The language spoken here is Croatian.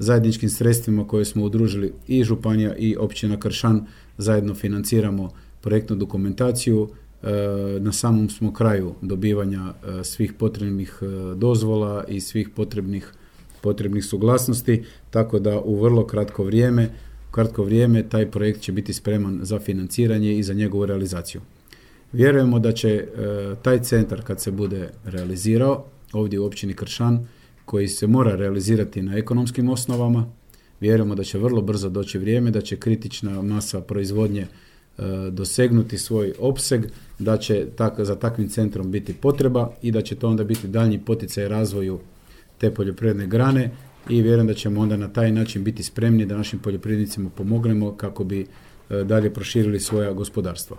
zajedničkim sredstvima koje smo udružili i županija i općina Kršan zajedno financiramo projektnu dokumentaciju. Na samom smo kraju dobivanja svih potrebnih dozvola i svih potrebnih suglasnosti, tako da u vrlo kratko vrijeme taj projekt će biti spreman za financiranje i za njegovu realizaciju. Vjerujemo da će taj centar kad se bude realizirao ovdje u općini Kršan, koji se mora realizirati na ekonomskim osnovama, vjerujemo da će vrlo brzo doći vrijeme, da će kritična masa proizvodnje dosegnuti svoj opseg, da će za takvim centrom biti potreba i da će to onda biti daljnji poticaj razvoju te poljoprivredne grane i vjerujem da ćemo onda na taj način biti spremni da našim poljoprivrednicima pomognemo kako bi dalje proširili svoja gospodarstva.